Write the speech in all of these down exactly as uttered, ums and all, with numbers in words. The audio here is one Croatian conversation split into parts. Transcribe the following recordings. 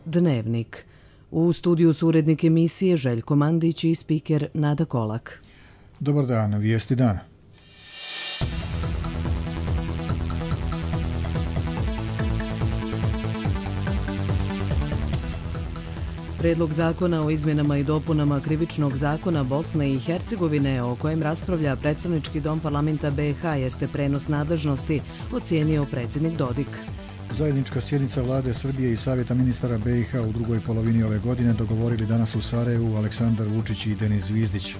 Dnevnik. U studiju su urednik emisije Željko Mandić i spiker Nada Kolak. Dobar dan, vijesti dana. Predlog zakona o izmjenama i dopunama Krivičnog zakona Bosne i Hercegovine, o kojem raspravlja predstavnički dom parlamenta B i H, jeste prenos nadležnosti, ocijenio predsjednik Dodik. Zajednička sjednica vlade Srbije i Savjeta ministara B i H u drugoj polovini ove godine dogovorili danas u Sarajevu Aleksandar Vučić i Denis Zvizdić.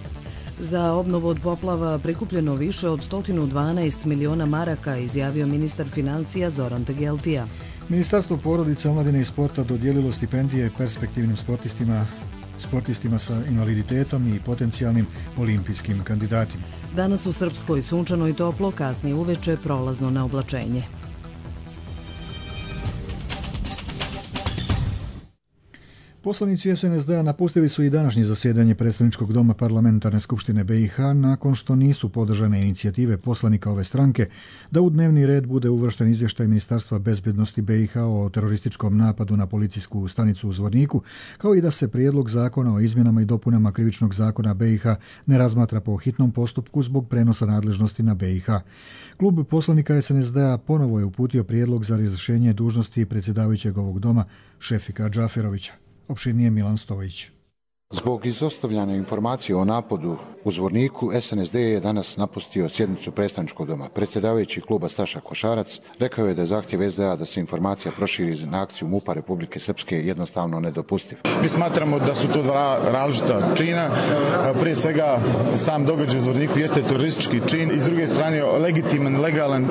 Za obnovu od poplava prikupljeno više od sto dvanaest miliona maraka, izjavio ministar financija Zoran Tegeltija. Ministarstvo porodice, omladine i sporta dodijelilo stipendije perspektivnim sportistima, sportistima sa invaliditetom i potencijalnim olimpijskim kandidatima. Danas u Srpskoj sunčano i toplo, kasnije uveče prolazno na oblačenje. Poslanici S N S D-a napustili su i današnje zasjedanje predstavničkog doma parlamentarne skupštine B i H nakon što nisu podržane inicijative poslanika ove stranke da u dnevni red bude uvršten izvještaj Ministarstva bezbjednosti B i H o terorističkom napadu na policijsku stanicu u Zvorniku, kao i da se prijedlog zakona o izmjenama i dopunama Krivičnog zakona B i H ne razmatra po hitnom postupku zbog prenosa nadležnosti na B i H. Klub poslanika S N S D-a ponovo je uputio prijedlog za razrješenje dužnosti predsjedavajućeg ovog doma Šefika Džaferovića. Opširnije Milan Stojić. Zbog izostavljanja informacije o napadu u Zvorniku, S N S D je danas napustio sjednicu predstavničkog doma. Predsjedavajući kluba Staša Košarac rekao je da je zahtjev S D A da se informacija proširi na akciju MUP-a Republike Srpske jednostavno nedopustiv. Mi smatramo da su to dva različita čina. Prije svega, sam događaj u Zvorniku jeste teroristički čin i s druge strane legitiman, legalan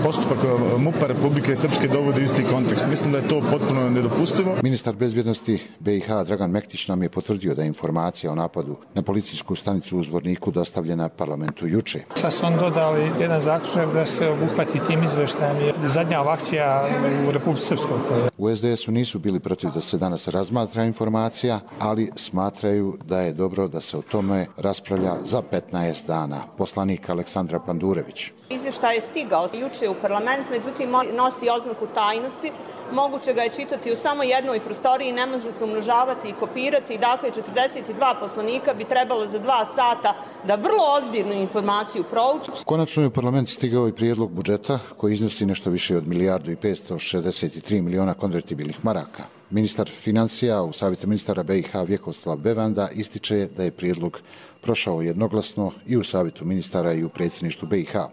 postupak MUP-a Republike Srpske dovodi u isti kontekst. Mislim da je to potpuno nedopustivo. Ministar bezbjednosti B i H Dragan Mektić nam je potvrdio da je informacija o napadu na policijsku stanicu u Zvorniku dostavljena parlamentu juče. Sad su on dodali jedan zaključak da se obuhvati tim izveštajem zadnja akcija u Republici Srpskoj. U S D S-u nisu bili protiv da se danas razmatra informacija, ali smatraju da je dobro da se o tome raspravlja za petnaest dana. Poslanik Aleksandra Pandurević. Izvještaj je stigao juče u parlament, međutim nosi oznaku tajnosti. Moguće ga je čitati u samo jednoj prostoriji, ne može se umnožavati i kopirati. Dakle, četrdeset dva poslanika bi trebalo za dva sata da vrlo ozbiljnu informaciju prouči. Konačno je u parlament stigao i prijedlog budžeta koji iznosi nešto više od milijardu i petsto šezdeset tri miliona konvertibilnih maraka. Ministar financija u Savjetu ministara B i H Vjekoslav Bevanda ističe da je prijedlog prošao jednoglasno i u Savjetu ministara i u predsjedništvu B i H.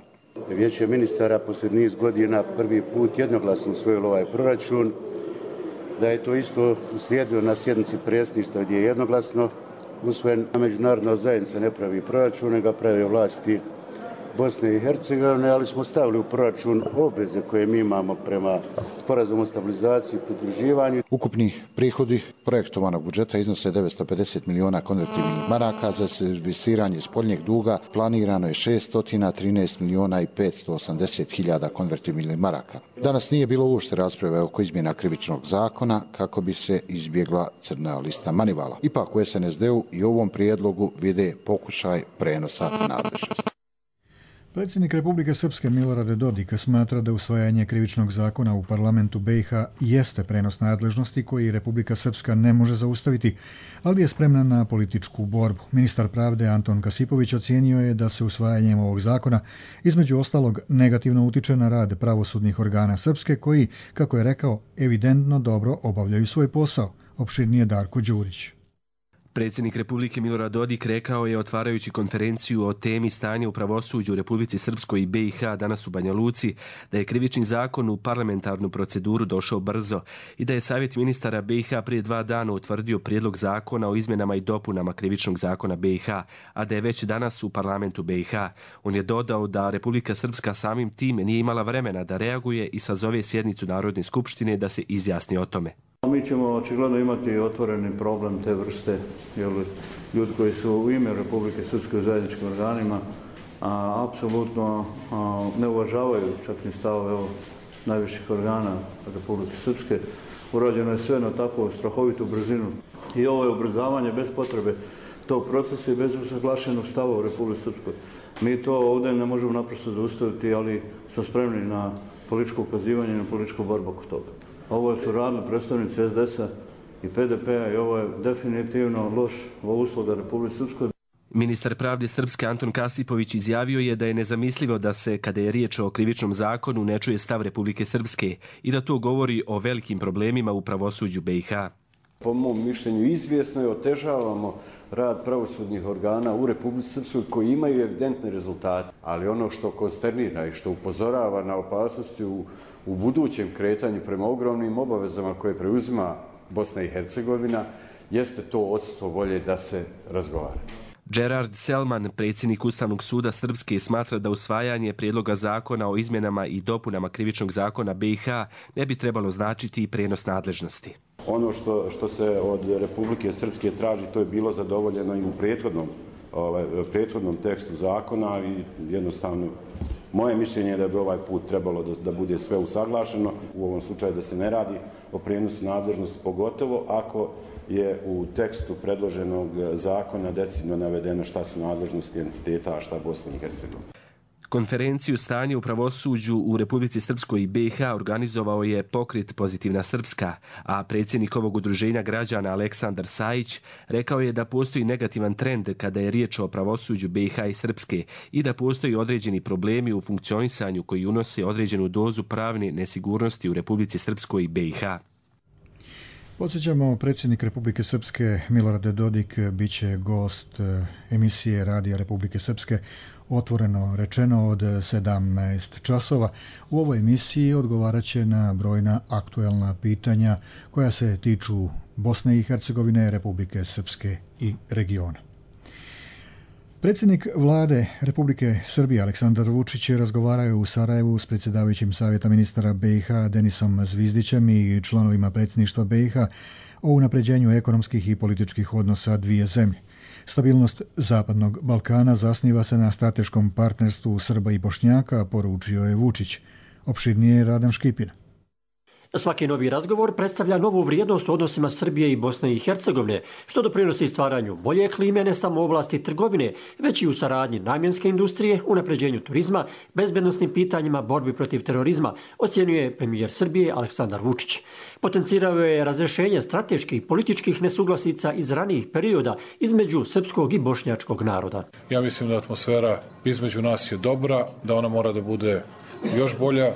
Vijeće ministara poslije niz godina prvi put jednoglasno usvojilo ovaj proračun, da je to isto uslijedilo na sjednici predsjedništva gdje je jednoglasno usvojen. Međunarodna zajednica ne pravi proračun, nego pravi vlasti Bosne i Hercegovine, ali smo stavili u proračun obveze koje mi imamo prema sporazumu o stabilizaciji i pridruživanju. Ukupni prihodi projektovanog budžeta iznose devetsto pedeset miliona konvertibilnih maraka, za servisiranje spoljnjeg duga planirano je šesto trinaest miliona i petsto osamdeset hiljada konvertibilnih maraka. Danas nije bilo uopšte rasprave oko izmjena Krivičnog zakona kako bi se izbjegla crna lista manivala. Ipak u S N S D-u i ovom prijedlogu vide pokušaj prenosa nadležnosti. Predsjednik Republike Srpske Milorad Dodik smatra da usvajanje Krivičnog zakona u parlamentu B i H jeste prenos nadležnosti koji Republika Srpska ne može zaustaviti, ali je spremna na političku borbu. Ministar pravde Anton Kasipović ocijenio je da se usvajanjem ovog zakona između ostalog negativno utiče na rad pravosudnih organa Srpske koji, kako je rekao, evidentno dobro obavljaju svoj posao. Opširnije Darko Đurić. Predsjednik Republike Milorad Dodik rekao je, otvarajući konferenciju o temi stanja u pravosuđu u Republici Srpskoj i B i H danas u Banja Luci, da je Krivični zakon u parlamentarnu proceduru došao brzo i da je Savjet ministara B i H prije dva dana utvrdio prijedlog zakona o izmjenama i dopunama Krivičnog zakona B i H, a da je već danas u parlamentu B i H. On je dodao da Republika Srpska samim tim nije imala vremena da reaguje i sazove sjednicu Narodne skupštine da se izjasni o tome. Mi ćemo očigledno imati otvoreni problem te vrste, jer ljudi koji su u ime Republike Srpske u zajedničkim organima a, apsolutno a, ne uvažavaju čak ni stavove najviših organa Republike Srpske. Urađeno je sve na tako strahovitu brzinu i ovo je ubrzavanje bez potrebe tog procesa i bez usaglašenog stava u Republike Srpskoj. Mi to ovdje ne možemo naprosto zaustaviti, ali smo spremni na političko ukazivanje i na političku borbu oko toga. Ovo su radili predstavnici es de es-a i pe de pe-a i ovo je definitivno loš usluga Republike Srpskoj. Ministar pravde Srpske Anton Kasipović izjavio je da je nezamislivo da se, kada je riječ o krivičnom zakonu, ne čuje stav Republike Srpske i da to govori o velikim problemima u pravosuđu be i ha. Po mom mišljenju izvjesno je otežavamo rad pravosudnih organa u Republici Srpskoj koji imaju evidentne rezultate, ali ono što konsternira i što upozorava na opasnosti u, u budućem kretanju prema ogromnim obavezama koje preuzima Bosna i Hercegovina jeste to odsustvo volje da se razgovara. Gerard Selman, predsjednik Ustavnog suda Srpske, smatra da usvajanje prijedloga zakona o izmjenama i dopunama krivičnog zakona be i ha ne bi trebalo značiti i prijenos nadležnosti. Ono što, što se od Republike Srpske traži, to je bilo zadovoljeno i u prethodnom, ovaj, prethodnom tekstu zakona i jednostavno moje mišljenje je da bi ovaj put trebalo da, da bude sve usaglašeno. U ovom slučaju da se ne radi o prijenosu nadležnosti, pogotovo ako je u tekstu predloženog zakona decidno navedeno šta su nadležnosti entiteta, a šta Bosna i Hercegovina. Konferenciju stanja u pravosuđu u Republici Srpskoj i be i ha organizovao je pokret Pozitivna Srpska, a predsjednik ovog udruženja građana Aleksandar Sajić rekao je da postoji negativan trend kada je riječ o pravosuđu be i ha i Srpske i da postoji određeni problemi u funkcionisanju koji unose određenu dozu pravne nesigurnosti u Republici Srpskoj i be i ha. Podsjećamo, predsjednik Republike Srpske Milorad Dodik biće gost emisije Radija Republike Srpske Otvoreno rečeno od sedamnaest časova. U ovoj emisiji odgovarat će na brojna aktuelna pitanja koja se tiču Bosne i Hercegovine, Republike Srpske i regiona. Predsjednik vlade Republike Srbije Aleksandar Vučić razgovarao je u Sarajevu s predsjedavajućim savjeta ministara be i ha Denisom Zvizdićem i članovima predsjedništva be i ha o unapređenju ekonomskih i političkih odnosa dvije zemlje. Stabilnost Zapadnog Balkana zasniva se na strateškom partnerstvu Srba i Bošnjaka, poručio je Vučić. Opširnije Radan Škipin. Svaki novi razgovor predstavlja novu vrijednost u odnosima Srbije i Bosne i Hercegovine, što doprinosi stvaranju bolje klime ne samo u oblasti trgovine, već i u saradnji namjenske industrije, unapređenju turizma, bezbednosnim pitanjima, borbi protiv terorizma, ocjenjuje premijer Srbije Aleksandar Vučić. Potencirao je razrešenje strateških i političkih nesuglasica iz ranijih perioda između srpskog i bošnjačkog naroda. Ja mislim da atmosfera između nas je dobra, da ona mora da bude još bolja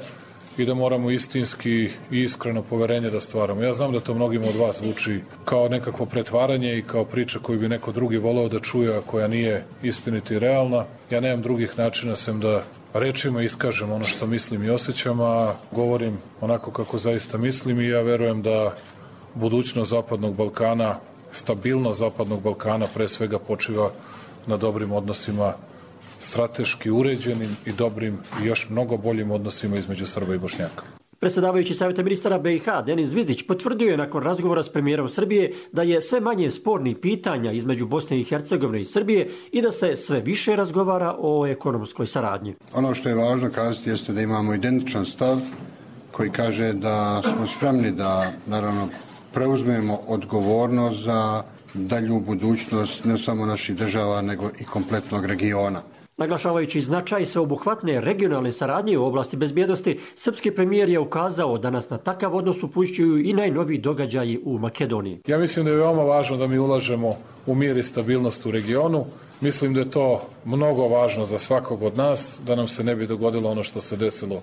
i da moramo istinski i iskreno poverenje da stvaramo. Ja znam da to mnogima od vas zvuči kao nekakvo pretvaranje i kao priča koju bi neko drugi voleo da čuje, a koja nije istinita i realna. Ja nemam drugih načina sem da rečima iskažem ono što mislim i osjećam, a govorim onako kako zaista mislim i ja verujem da budućnost Zapadnog Balkana, stabilnost Zapadnog Balkana pre svega počiva na dobrim odnosima, strateški uređenim i dobrim i još mnogo boljim odnosima između Srba i Bošnjaka. Predsjedavajući savjeta ministara be i ha Denis Zvizdić potvrdio je nakon razgovora s premijerom Srbije da je sve manje spornih pitanja između Bosne i Hercegovine i Srbije i da se sve više razgovara o ekonomskoj saradnji. Ono što je važno kazati jeste da imamo identičan stav koji kaže da smo spremni da naravno preuzmemo odgovornost za dalju budućnost ne samo naših država nego i kompletnog regiona. Naglašavajući značaj sveobuhvatne regionalne saradnje u oblasti bezbjednosti, srpski premijer je ukazao da nas na takav odnos upućuju i najnoviji događaji u Makedoniji. Ja mislim da je veoma važno da mi ulažemo u mir i stabilnost u regionu. Mislim da je to mnogo važno za svakog od nas, da nam se ne bi dogodilo ono što se desilo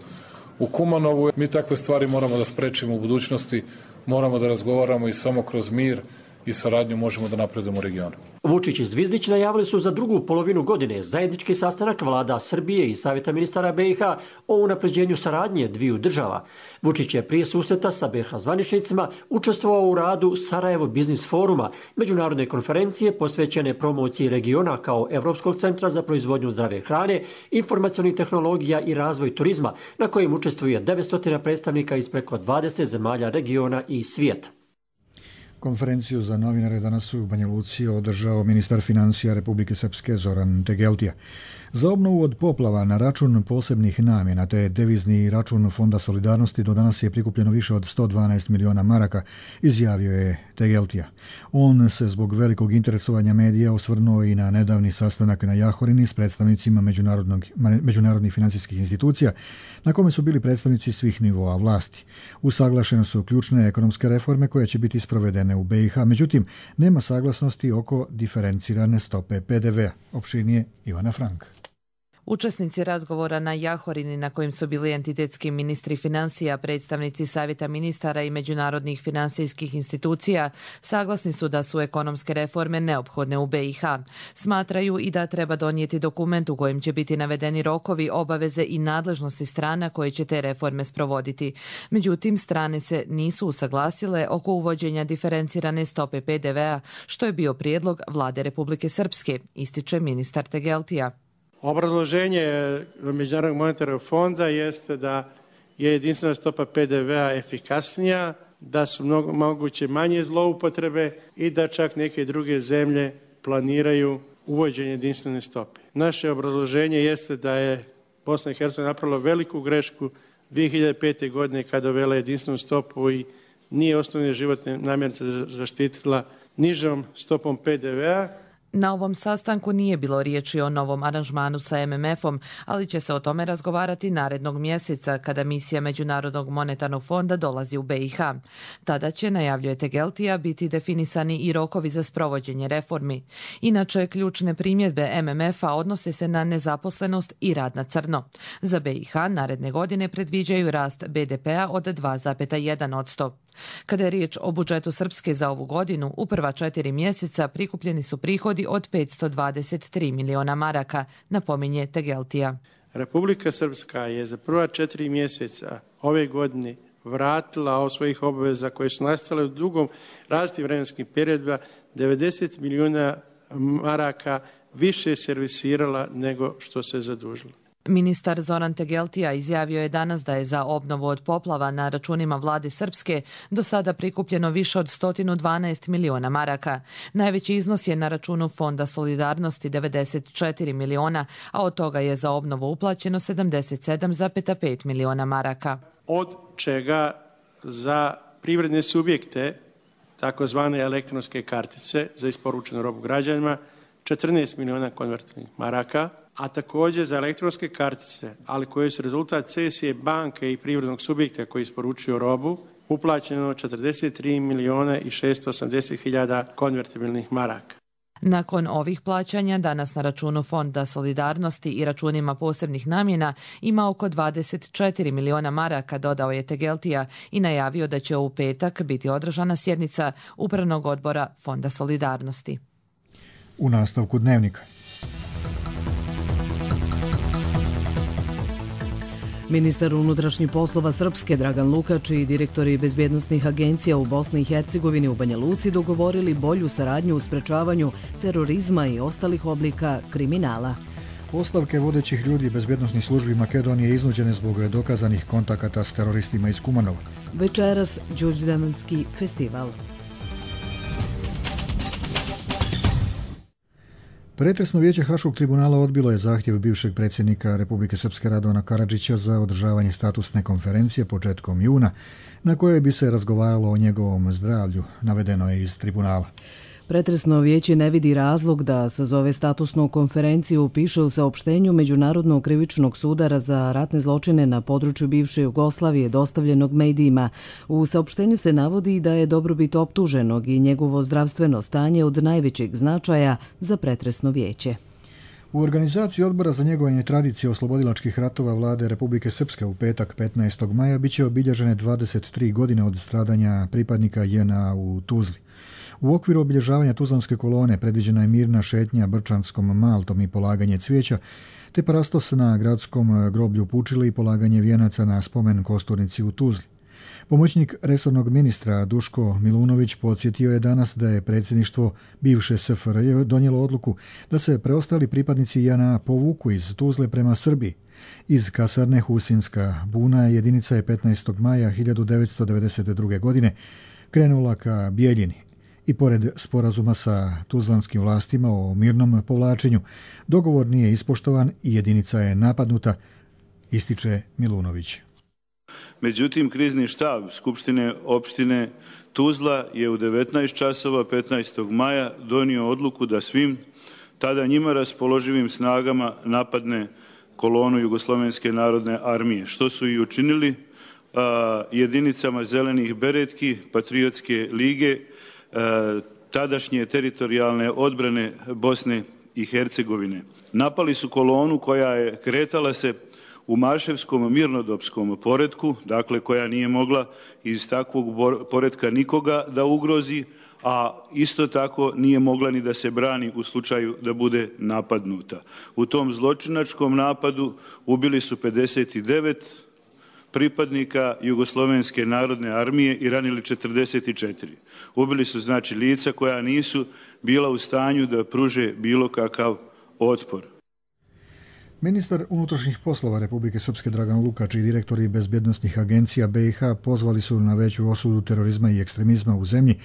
u Kumanovu. Mi takve stvari moramo da sprečimo u budućnosti, moramo da razgovaramo i samo kroz mir i saradnju možemo da napredujemo u regionu. Vučić i Zvizdić najavili su za drugu polovinu godine zajednički sastanak vlada Srbije i savjeta ministara be i ha o unapređenju saradnje dviju država. Vučić je prije susreta sa be ha zvaničnicima učestvovao u radu Sarajevo Biznis foruma, međunarodne konferencije posvećene promociji regiona kao Evropskog centra za proizvodnju zdrave hrane, informacionih tehnologija i razvoj turizma, na kojem učestvuje devetsto predstavnika iz preko dvadeset zemalja regiona i svijeta. Konferenciju za novinare danas u Banja Luci održao ministar financija Republike Srpske Zoran Tegeltija. Za obnovu od poplava na račun posebnih namjena te devizni račun Fonda solidarnosti do danas je prikupljeno više od sto dvanaest miliona maraka, izjavio je Tegeltija. On se zbog velikog interesovanja medija osvrnuo i na nedavni sastanak na Jahorini s predstavnicima međunarodnih financijskih institucija, na kome su bili predstavnici svih nivoa vlasti. Usaglašene su ključne ekonomske reforme koje će biti sprovedene u B i H, međutim, nema saglasnosti oko diferencirane stope P D V-a. Opširnije Ivana Frank. Učesnici razgovora na Jahorini, na kojim su bili entitetski ministri financija, predstavnici Savjeta ministara i međunarodnih finansijskih institucija, saglasni su da su ekonomske reforme neophodne u B i H. Smatraju i da treba donijeti dokument u kojem će biti navedeni rokovi, obaveze i nadležnosti strana koje će te reforme sprovoditi. Međutim, strane se nisu usaglasile oko uvođenja diferencirane stope P D V-a, što je bio prijedlog vlade Republike Srpske, ističe ministar Tegeltija. Obrazloženje Međunarodnog monetarnog fonda jeste da je jedinstvena stopa P D V-a efikasnija, da su mnogo, moguće manje zloupotrebe i da čak neke druge zemlje planiraju uvođenje jedinstvene stope. Naše obrazloženje jeste da je Bosna i Hercegovina napravila veliku grešku dvije hiljade pete. godine kada uvela jedinstvenu stopu i nije osnovne životne namirnice zaštitila nižom stopom P D V-a. Na ovom sastanku nije bilo riječi o novom aranžmanu sa M M F-om, ali će se o tome razgovarati narednog mjeseca kada misija Međunarodnog monetarnog fonda dolazi u B i H. Tada će, najavljuje Tegeltija, biti definisani i rokovi za sprovođenje reformi. Inače, ključne primjedbe M M F-a odnose se na nezaposlenost i rad na crno. Za B i H naredne godine predviđaju rast B D P-a od dva zarez jedan posto. Kada je riječ o budžetu Srpske za ovu godinu, u prva četiri mjeseca prikupljeni su prihodi od petsto dvadeset tri miliona maraka, napominje Tegeltija. Republika Srpska je za prva četiri mjeseca ove godine vratila od svojih obaveza koje su nastale u dugom različitim vremenskim periodima devedeset miliona maraka više servisirala nego što se zadužila. Ministar Zoran Tegeltija izjavio je danas da je za obnovu od poplava na računima vlade Srpske do sada prikupljeno više od sto dvanaest miliona maraka. Najveći iznos je na računu Fonda solidarnosti devedeset četiri miliona, a od toga je za obnovu uplaćeno sedamdeset sedam zarez pet miliona maraka. Od čega za privredne subjekte, takozvane elektronske kartice za isporučenu robu građanima, četrnaest miliona konvertibilnih maraka, a također za elektronske kartice, ali koje su rezultat cesije banke i privrednog subjekta koji isporučuju robu, uplaćeno četrdeset tri miliona i šesto osamdeset hiljada konvertibilnih maraka. Nakon ovih plaćanja, danas na računu Fonda solidarnosti i računima posebnih namjena ima oko dvadeset četiri miliona maraka, dodao je Tegeltija i najavio da će u petak biti održana sjednica Upravnog odbora Fonda solidarnosti. U nastavku dnevnika. Ministar unutrašnjih poslova Srpske Dragan Lukač i direktori bezbjednosnih agencija u Bosni i Hercegovini u Banja Luci dogovorili bolju saradnju u sprečavanju terorizma i ostalih oblika kriminala. Ostavke vodećih ljudi bezbjednosnih službi Makedonije iznuđene zbog dokazanih kontakata s teroristima iz Kumanova. Večeras Đurđevdanski festival. Pretresno vijeće Haškog tribunala odbilo je zahtjev bivšeg predsjednika Republike Srpske Radovana Karadžića za održavanje statusne konferencije početkom juna, na kojoj bi se razgovaralo o njegovom zdravlju, navedeno je iz tribunala. Pretresno vijeće ne vidi razlog da sazove statusnu konferenciju, piše u saopštenju Međunarodnog krivičnog suda za ratne zločine na području bivše Jugoslavije dostavljenog medijima. U saopštenju se navodi da je dobrobit optuženog i njegovo zdravstveno stanje od najvećeg značaja za pretresno vijeće. U organizaciji odbora za njegovanje tradicije oslobodilačkih ratova vlade Republike Srpske u petak petnaestog maja biće obilježene dvadeset tri godine od stradanja pripadnika J N A u Tuzli. U okviru obilježavanja Tuzlanske kolone predviđena je mirna šetnja Brčanskom maltom i polaganje cvijeća, te parastos na gradskom groblju Pučili i polaganje vijenaca na spomen kosturnici u Tuzli. Pomoćnik resornog ministra Duško Milunović podsjetio je danas da je predsjedništvo bivše S F R J donijelo odluku da se preostali pripadnici J N A povuku iz Tuzle prema Srbiji. Iz kasarne Husinska buna jedinica je petnaestog maja hiljadu devetsto devedeset druge. godine krenula ka Bijeljini. I pored sporazuma sa tuzlanskim vlastima o mirnom povlačenju, dogovor nije ispoštovan i jedinica je napadnuta, ističe Milunović. Međutim, krizni štab Skupštine opštine Tuzla je u devetnaest časova petnaestog maja donio odluku da svim tada njima raspoloživim snagama napadne kolonu Jugoslovenske narodne armije, što su i učinili a, jedinicama zelenih beretki, Patriotske lige, a, tadašnje teritorijalne odbrane Bosne i Hercegovine. Napali su kolonu koja je kretala se u Maševskom mirnodopskom poretku, dakle koja nije mogla iz takvog poretka nikoga da ugrozi, a isto tako nije mogla ni da se brani u slučaju da bude napadnuta. U tom zločinačkom napadu ubili su pedeset devet pripadnika Jugoslovenske narodne armije i ranili četrdeset četiri. Ubili su znači lica koja nisu bila u stanju da pruže bilo kakav otpor. Ministar unutrašnjih poslova Republike Srpske Dragan Lukač i direktori bezbjednosnih agencija B i H pozvali su na veću osudu terorizma i ekstremizma u zemlji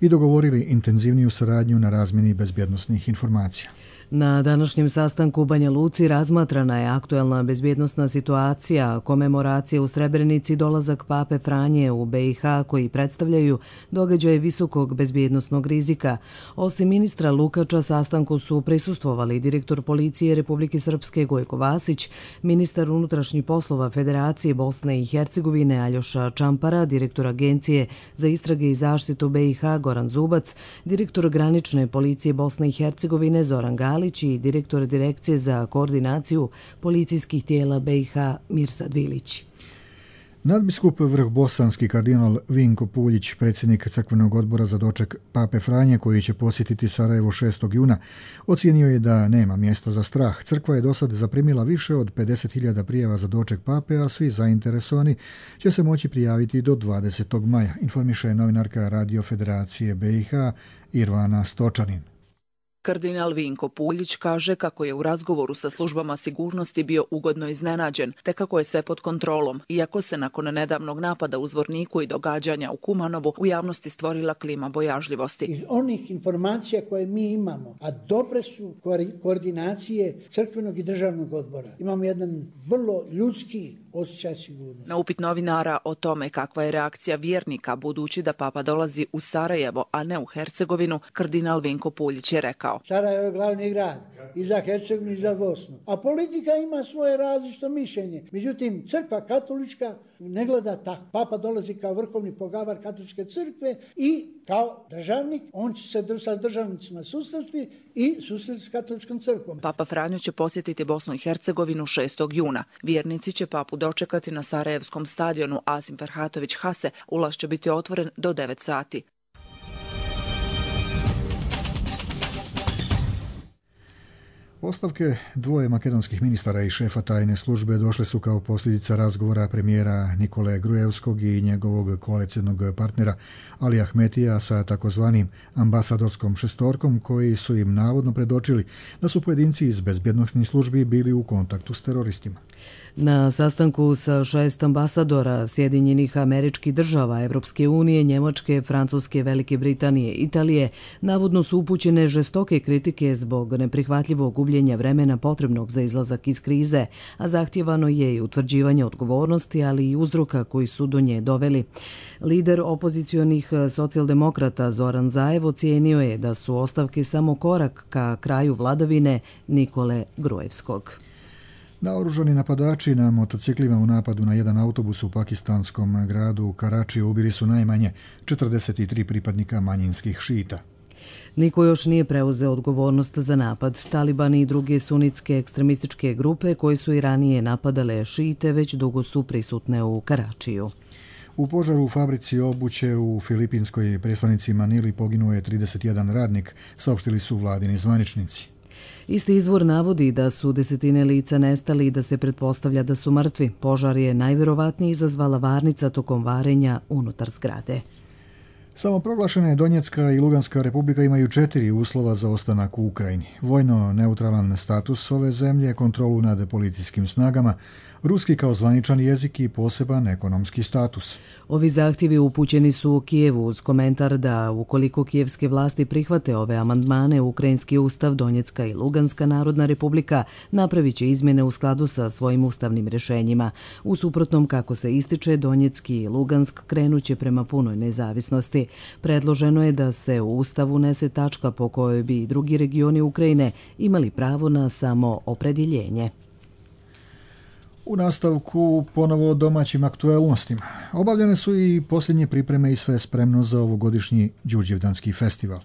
i dogovorili intenzivniju saradnju na razmjeni bezbjednosnih informacija. Na današnjem sastanku u Banja Luci razmatrana je aktuelna bezbjednosna situacija, komemoracije u Srebrenici, dolazak Pape Franje u B i H koji predstavljaju događaje visokog bezbjednosnog rizika. Osim ministra Lukača, sastanku su prisustvovali direktor policije Republike Srpske Gojko Vasić, ministar unutrašnjih poslova Federacije Bosne i Hercegovine Aljoša Čampara, direktor Agencije za istrage i zaštitu B i H Goran Zubac, direktor granične policije Bosne i Hercegovine Zoran Gali i direktor Direkcije za koordinaciju policijskih tijela B i H Mirsad Vilić. Nadbiskup vrhbosanski kardinal Vinko Puljić, predsjednik crkvenog odbora za doček Pape Franje, koji će posjetiti Sarajevo šestog juna, ocijenio je da nema mjesta za strah. Crkva je do sad zaprimila više od pedeset hiljada prijava za doček Pape, a svi zainteresovani će se moći prijaviti do dvadesetog maja, informiše novinarka Radio Federacije B i H Irvana Stočanin. Kardinal Vinko Puljić kaže kako je u razgovoru sa službama sigurnosti bio ugodno iznenađen, te kako je sve pod kontrolom, iako se nakon nedavnog napada u Zvorniku i događanja u Kumanovu u javnosti stvorila klima bojažljivosti. Iz onih informacija koje mi imamo, a dobre su koordinacije crkvenog i državnog odbora, imamo jedan vrlo ljudski osjećaj sigurnosti. Na upit novinara o tome kakva je reakcija vjernika budući da Papa dolazi u Sarajevo, a ne u Hercegovinu, kardinal Vinko Puljić je rekao: Sarajevo je glavni grad i za Hercegovinu i za Bosnu. A politika ima svoje različito mišljenje. Međutim, crkva katolička ne gleda tako. Papa dolazi kao vrhovni pogavar katoličke crkve i kao državnik, on će se sa državnicima susresti i susresti s katoličkom crkvom. Papa Franjo će posjetiti Bosnu i Hercegovinu šestog juna. Vjernici će papu dočekati na Sarajevskom stadionu Asim Ferhatović Hase. Ulaz će biti otvoren do devet sati. Ostavke dvoje makedonskih ministara i šefa tajne službe došle su kao posljedica razgovora premijera Nikole Grujevskog i njegovog koalicijnog partnera Ali Ahmetija sa takozvanim ambasadorskom šestorkom, koji su im navodno predočili da su pojedinci iz bezbjednosnih službi bili u kontaktu s teroristima. Na sastanku sa šest ambasadora Sjedinjenih Američkih Država, Evropske unije, Njemačke, Francuske, Velike Britanije, Italije, navodno su upućene žestoke kritike zbog neprihvatljivog gubljenja vremena potrebnog za izlazak iz krize, a zahtjevano je i utvrđivanje odgovornosti, ali i uzroka koji su do nje doveli. Lider opozicionih socijaldemokrata Zoran Zaev ocijenio je da su ostavke samo korak ka kraju vladavine Nikole Grujevskog. Naoružani napadači na motociklima u napadu na jedan autobus u pakistanskom gradu Karačiju ubili su najmanje četrdeset tri pripadnika manjinskih šita. Niko još nije preuzeo odgovornost za napad. Talibani i druge sunitske ekstremističke grupe koji su i ranije napadale šite već dugo su prisutne u Karačiju. U požaru u fabrici obuće u filipinskoj prestonici Manili poginuo je trideset jedan radnik, saopštili su vladini zvaničnici. Isti izvor navodi da su desetine lica nestali i da se pretpostavlja da su mrtvi. Požar je najvjerovatnije izazvala varnica tokom varenja unutar zgrade. Samoproglašene Donjecka i Luganska republika imaju četiri uslova za ostanak u Ukrajini. Vojno neutralan status ove zemlje, kontrolu nad policijskim snagama, ruski kao zvaničan jezik i poseban ekonomski status. Ovi zahtjevi upućeni su u Kijevu uz komentar da ukoliko kijevske vlasti prihvate ove amandmane, Ukrajinski ustav, Donjecka i Luganska narodna republika napravit će izmjene u skladu sa svojim ustavnim rješenjima. U suprotnom, kako se ističe, Donjecki i Lugansk krenuće prema punoj nezavisnosti. Predloženo je da se u ustav unese tačka po kojoj bi i drugi regioni Ukrajine imali pravo na samo opredjeljenje. U nastavku ponovo o domaćim aktuelnostima. Obavljene su i posljednje pripreme i sve spremno za ovogodišnji Đurđevdanski festival.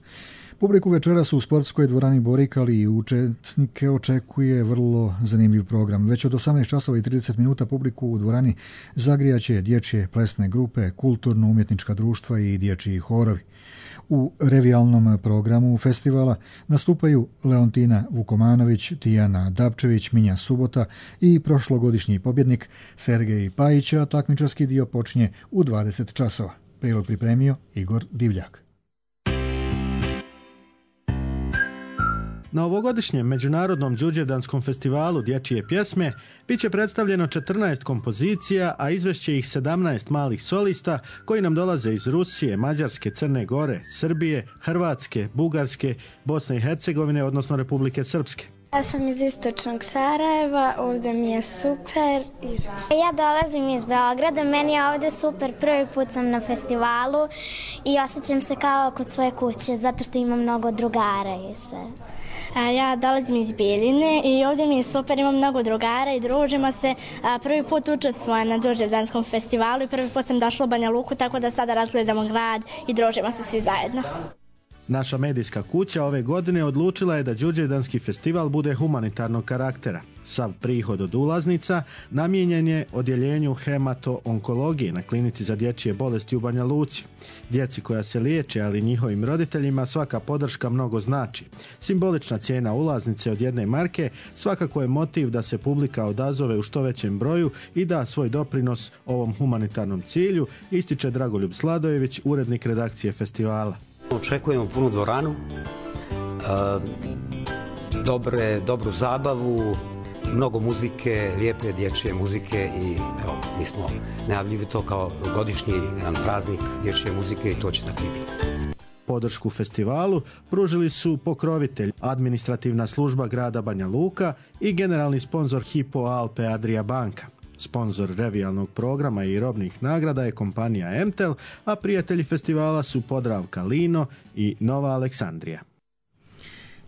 Publiku večeras u sportskoj dvorani Borik, ali i učesnike očekuje vrlo zanimljiv program. Već od osamnaest časova i trideset minuta publiku u dvorani zagrijaće dječje plesne grupe, kulturno-umjetnička društva i dječji horovi. U revijalnom programu festivala nastupaju Leontina Vukomanović, Tijana Dabčević, Minja Subota i prošlogodišnji pobjednik Sergej Pajić, a takmičarski dio počinje u dvadeset časova. Prilog pripremio Igor Divljak. Na ovogodišnjem Međunarodnom Đurđevdanskom festivalu dječje pjesme bit će predstavljeno četrnaest kompozicija, a izvešće ih sedamnaest malih solista koji nam dolaze iz Rusije, Mađarske, Crne Gore, Srbije, Hrvatske, Bugarske, Bosne i Hercegovine, odnosno Republike Srpske. Ja sam iz istočnog Sarajeva, ovdje mi je super. Ja dolazim iz Beograda, meni je ovdje super, prvi put sam na festivalu i osjećam se kao kod svoje kuće, zato što imam mnogo drugara i sve. Ja dolazim iz Bijeljine i ovdje mi je super, imam mnogo drugara i družimo se. Prvi put učestvujem na Đurđevdanskom festivalu i prvi put sam došla u Banja Luku, tako da sada razgledamo grad i družimo se svi zajedno. Naša medijska kuća ove godine odlučila je da Đurđevdanski festival bude humanitarnog karaktera. Sav prihod od ulaznica namijenjen je odjeljenju hemato-onkologije na klinici za dječje bolesti u Banja Luci. Djeci koja se liječe, ali njihovim roditeljima svaka podrška mnogo znači. Simbolična cijena ulaznice od jedne marke svakako je motiv da se publika odazove u što većem broju i da svoj doprinos ovom humanitarnom cilju, ističe Dragoljub Sladojević, urednik redakcije festivala. Očekujemo punu dvoranu, dobre, dobru zabavu, mnogo muzike, lijepe dječje muzike i evo, mi smo najavljivi to kao godišnji jedan praznik dječje muzike i to će tako i biti. Podršku festivalu pružili su pokrovitelj, administrativna služba grada Banja Luka i generalni sponzor Hypo Alpe Adria banka. Sponzor revijalnog programa i robnih nagrada je kompanija Emtel, a prijatelji festivala su Podravka Lino i Nova Aleksandrija.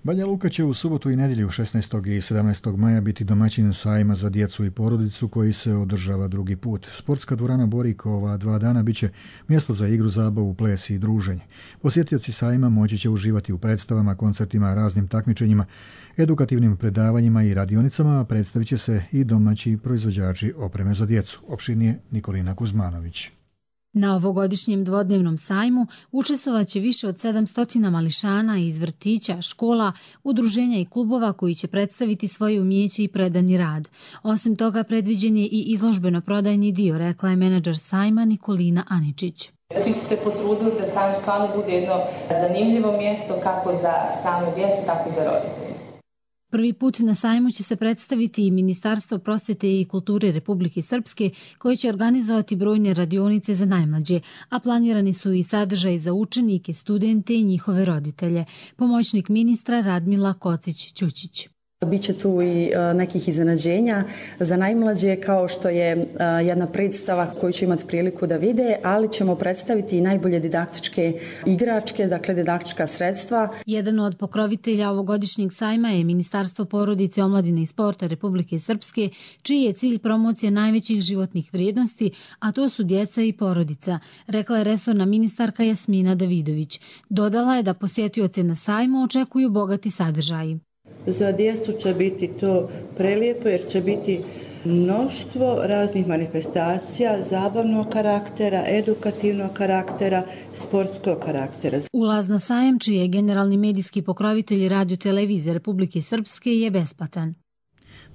Banja Luka će u subotu i nedjelju šesnaestog i sedamnaestog maja biti domaćin sajma za djecu i porodicu koji se održava drugi put. Sportska dvorana Borik ova dva dana bit će mjesto za igru, zabavu, ples i druženje. Posjetioci sajma moći će uživati u predstavama, koncertima, raznim takmičenjima, edukativnim predavanjima i radionicama, a predstavit će se i domaći proizvođači opreme za djecu. Opširnije Nikolina Kuzmanović. Na ovogodišnjem dvodnevnom sajmu učestvovaće više od sedamsto mališana iz vrtića, škola, udruženja i klubova koji će predstaviti svoje umjeće i predani rad. Osim toga, predviđen je i izložbeno-prodajni dio, rekla je menadžer sajma Nikolina Aničić. Svi su se potrudili da sajam stvarno bude jedno zanimljivo mjesto kako za samu djecu, tako i za roditelje. Prvi put na sajmu će se predstaviti i Ministarstvo prosvjete i kulture Republike Srpske, koje će organizovati brojne radionice za najmlađe, a planirani su i sadržaj za učenike, studente i njihove roditelje. Pomoćnik ministra Radmila Kocić-Ćučić. Biće tu i nekih iznenađenja za najmlađe, kao što je jedna predstava koju će imati priliku da vide, ali ćemo predstaviti i najbolje didaktičke igračke, dakle didaktička sredstva. Jedan od pokrovitelja ovogodišnjeg sajma je Ministarstvo porodice, omladine i sporta Republike Srpske, čiji je cilj promocija najvećih životnih vrijednosti, a to su djeca i porodica, rekla je resorna ministarka Jasmina Davidović. Dodala je da posjetioce na sajmu očekuju bogati sadržaji. Za djecu će biti to prelijepo jer će biti mnoštvo raznih manifestacija, zabavnog karaktera, edukativnog karaktera, sportskog karaktera. Ulaz na sajam, čiji je generalni medijski pokrovitelj Radio Televizije Republike Srpske, je besplatan.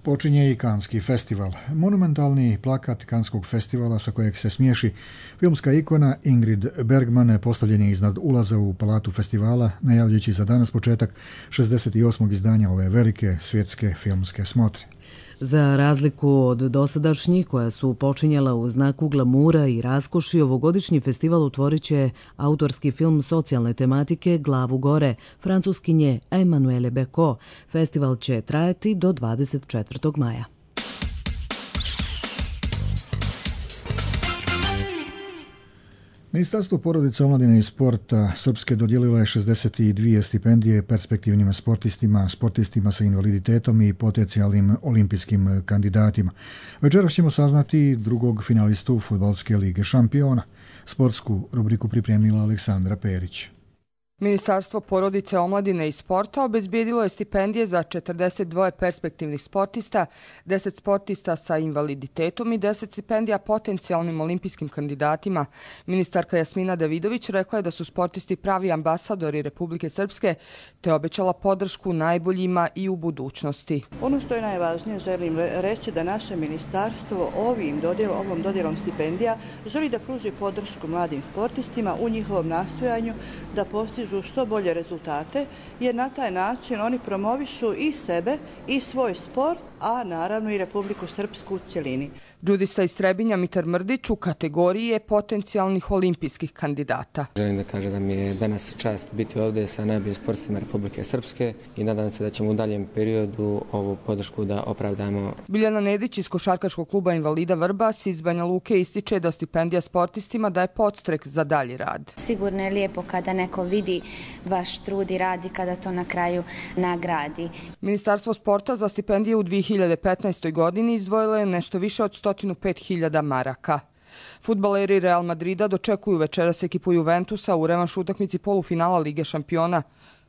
Počinje i Kanski festival. Monumentalni plakat Kanskog festivala sa kojeg se smiješi filmska ikona Ingrid Bergman postavljen je iznad ulaza u palatu festivala, najavljujući za danas početak šezdeset osmog izdanja ove velike svjetske filmske smotre. Za razliku od dosadašnjih koja su počinjala u znaku glamura i raskoši, ovogodišnji festival otvorit će autorski film socijalne tematike Glavu gore, francuskinje Emmanuelle Becot. Festival će trajati do dvadeset četvrtog maja. Ministarstvo porodice, omladine i sporta Srpske dodijelilo je šezdeset dvije stipendije perspektivnim sportistima, sportistima sa invaliditetom i potencijalnim olimpijskim kandidatima. Večeras ćemo saznati drugog finalistu Fudbalske lige šampiona. Sportsku rubriku pripremila Aleksandra Perić. Ministarstvo porodice, omladine i sporta obezbijedilo je stipendije za četrdeset dva perspektivnih sportista, deset sportista sa invaliditetom i deset stipendija potencijalnim olimpijskim kandidatima. Ministarka Jasmina Davidović rekla je da su sportisti pravi ambasadori Republike Srpske, te obećala podršku najboljima i u budućnosti. Ono što je najvažnije, želim reći da naše ministarstvo ovim dodjel, ovom dodjelom stipendija želi da pruži podršku mladim sportistima u njihovom nastojanju da postižu što bolje rezultate, jer na taj način oni promovišu i sebe i svoj sport, a naravno i Republiku Srpsku u cjelini. Džudista iz Trebinja Mitar Mrdić u kategoriji je potencijalnih olimpijskih kandidata. Želim da kažem da mi je danas čast biti ovdje sa najboljim sportistima Republike Srpske i nadam se da ćemo u daljem periodu ovu podršku da opravdamo. Biljana Nedić iz Košarkaškog kluba Invalida Vrbas iz Banja Luke ističe da stipendija sportistima daje podstrek za dalji rad. Sigurno je lijepo kada neko vidi vaš trud i radi, kada to na kraju nagradi. Ministarstvo sporta za stipendije u dvije hiljade petnaestoj godini izdvojilo je nešto više od sto pet hiljada maraka. Fudbaleri Real Madrida dočekuju večeras ekipu Juventusa u revanš utakmici polufinala Lige šampiona.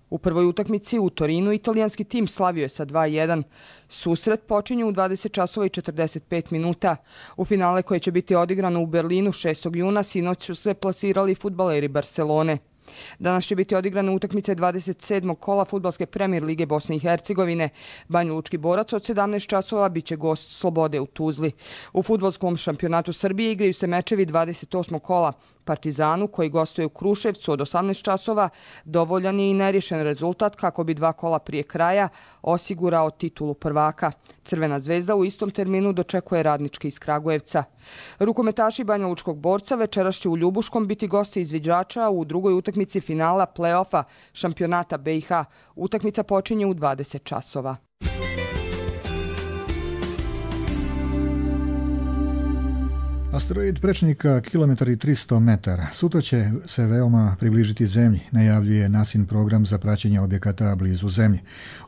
U prvoj utakmici u Torinu italijanski tim slavio je sa dva jedan. Susret počinje u dvadeset časova i četrdeset pet minuta. U finale koje će biti odigrano u Berlinu šestog juna sinoć su se plasirali fudbaleri Barcelone. Danas će biti odigrane utakmice dvadeset sedmog kola Fudbalske premijer lige Bosne i Hercegovine. Banjalučki Borac od sedamnaest časova bit će gost Slobode u Tuzli. U fudbalskom šampionatu Srbije igraju se mečevi dvadeset osmog kola. Partizanu, koji gostuje u Kruševcu od osamnaest časova, dovoljan je i neriješen rezultat kako bi dva kola prije kraja osigurao titulu prvaka. Crvena zvezda u istom terminu dočekuje Radnički iz Kragujevca. Rukometaši Banjalučkog Borca večeras će u Ljubuškom biti gosti izviđača u drugoj utakmici finala play-offa šampionata B i H. Utakmica počinje u dvadeset časova. Asteroid prečnika kilometar i tristo metara. Sutra će se veoma približiti Zemlji, najavljuje nasin program za praćenje objekata blizu Zemlje.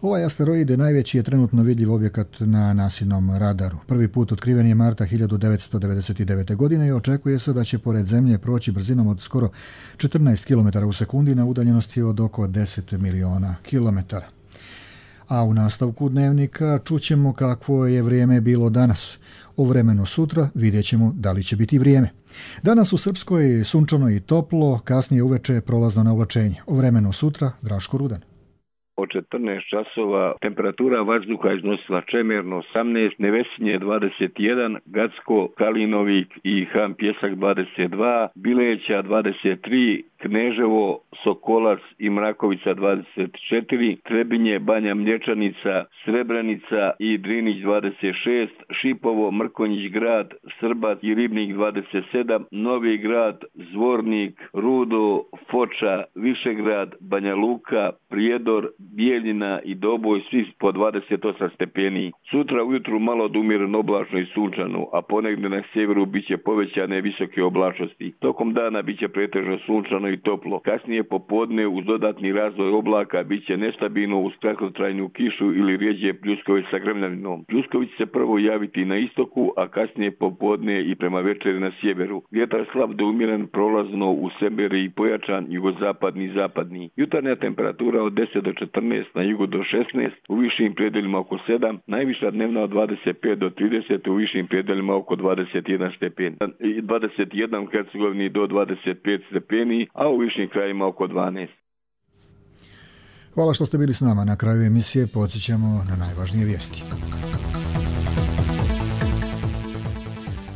Ovaj asteroid je najveći je trenutno vidljiv objekat na nasinom radaru. Prvi put otkriven je marta hiljadu devetsto devedeset devete. godine i očekuje se da će pored Zemlje proći brzinom od skoro četrnaest kilometara u sekundi na udaljenosti od oko deset miliona kilometara. A u nastavku dnevnika čućemo kakvo je vrijeme bilo danas. O vremenu sutra vidjet ćemo da li će biti vrijeme. Danas u Srpskoj sunčano i toplo, kasnije uveče prolazno na oblačenje. O vremenu sutra Draško Rudan. Od četrnaest časova temperatura vazduha iznosila Čemerno osamnaest, Nevesinje dvadeset jedan, Gacko, Kalinovik i Han Pjesak dvadeset dva, Bileća dvadeset tri, Kneževo, Sokolac i Mrakovica dvadeset četiri, Trebinje, Banja Mlječanica, Srebrenica i Drinić dvadeset šest, Šipovo, Mrkonjić grad, Srbac i Ribnik dvadeset sedam, Novi grad, Zvornik, Rudo, Foča, Višegrad, Banja Luka, Prijedor, Bijeljina i Doboj svi po dvadeset osam stepeni. Sutra ujutru malo od umjereno oblačno i sunčano, a ponegdje na sjeveru biće povećane visoke oblačnosti. Tokom dana biće pretežno sunčano i toplo. Kasnije popodne uz dodatni razvoj oblaka biće nestabilno uz kratkotrajnu kišu ili rijeđe pljuskove sa grmljavinom. Pljuskovi će se prvo javiti na istoku, a kasnije popodne i prema večeri na sjeveru. Vjetar slab do umjeren prolazno u seberi i pojačan jugozapadni i zapadni. Jutarnja temperatura od deset do četrnaest, na jugu do šesnaest, u višim predelima oko sedam, najviša dnevna od dvadeset pet do trideset, u višim predelima oko dvadeset jedan stepeni. dvadeset jedan u Hercegovini do dvadeset pet stepeni, a u višim krajima oko dvanaest. Hvala što ste bili s nama. Na kraju emisije podsjećamo na najvažnije vijesti.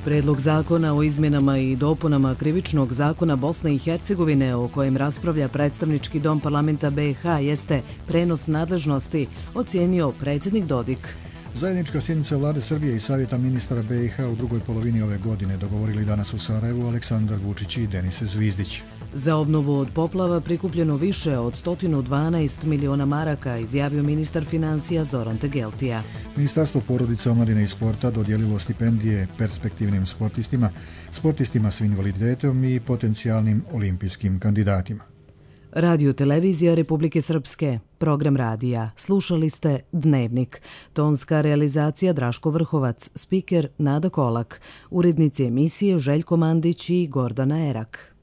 Predlog zakona o izmjenama i dopunama Krivičnog zakona Bosne i Hercegovine o kojem raspravlja predstavnički dom parlamenta B i H jeste prenos nadležnosti, ocijenio predsjednik Dodik. Zajednička sjednica vlade Srbije i savjeta ministara B i H u drugoj polovini ove godine dogovorili danas u Sarajevu Aleksandar Vučić i Denis Zvizdić. Za obnovu od poplava prikupljeno više od sto dvanaest miliona maraka, izjavio ministar financija Zoran Tegeltija. Ministarstvo porodice, omladine i sporta dodijelilo stipendije perspektivnim sportistima, sportistima s invaliditetom i potencijalnim olimpijskim kandidatima. Radio Televizija Republike Srpske, program radija. Slušali ste Dnevnik. Tonska realizacija Draško Vrhovac, spiker Nada Kolak, urednici emisije Željko Mandić i Gordana Erak.